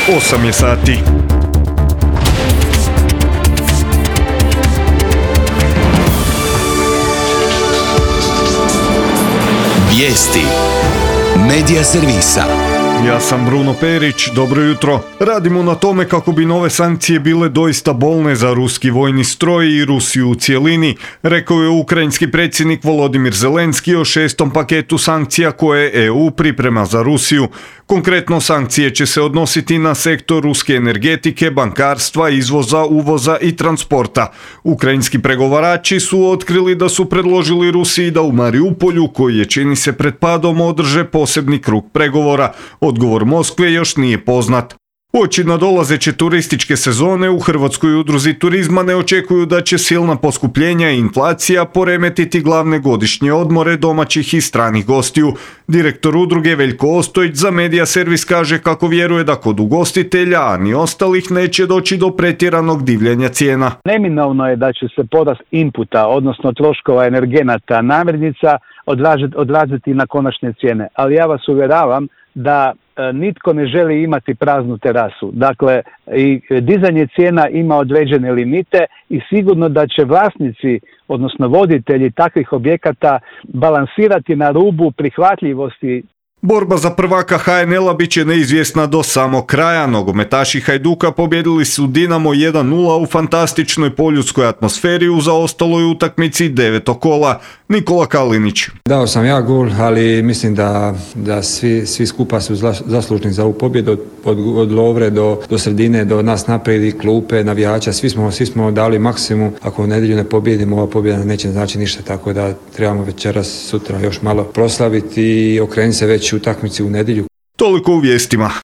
8 je sati. Vijesti Medija servisa. Ja sam Bruno Perić, dobro jutro. Radimo na tome kako bi nove sankcije bile doista bolne za ruski vojni stroj i Rusiju u cjelini, rekao je ukrajinski predsjednik Volodimir Zelenski o 6. paketu sankcija koje EU priprema za Rusiju. Konkretno, sankcije će se odnositi na sektor ruske energetike, bankarstva, izvoza, uvoza i transporta. Ukrajinski pregovarači su otkrili da su predložili Rusiji da u Mariupolju, koji je čini se pred padom, održe posebni krug pregovora. Odgovor Moskve još nije poznat. Uoči nadolazeće turističke sezone u Hrvatskoj udruzi turizma ne očekuju da će silna poskupljenja i inflacija poremetiti glavne godišnje odmore domaćih i stranih gostiju. Direktor udruge Veljko Ostojić za Medija servis kaže kako vjeruje da kod ugostitelja, a ni ostalih, neće doći do pretjeranog divljanja cijena. Neminovno je da će se porast inputa, odnosno troškova energenata, namirnica odraziti na konačne cijene. Ali ja vas uvjeravam da nitko ne želi imati praznu terasu. Dakle, i dizanje cijena ima određene limite i sigurno da će vlasnici, odnosno voditelji takvih objekata, balansirati na rubu prihvatljivosti. Borba za prvaka HNL-a bit će neizvjesna do samog kraja. Nogometaši Hajduka pobjedili su Dinamo 1-0 u fantastičnoj poljudskoj atmosferi u zaostaloj utakmici 9. kola. Nikola Kalinić. Dao sam ja gol, ali mislim da svi skupa su zaslužni za ovu pobjedu, od Lovre do sredine, do nas naprijed, klupe, navijača, svi smo dali maksimum. Ako u nedjelju ne pobjedimo, ova pobjeda neće znači ništa, tako da trebamo večeras, sutra još malo proslaviti i okrenuti se već utakmici u nedjelju. Toliko u vijestima.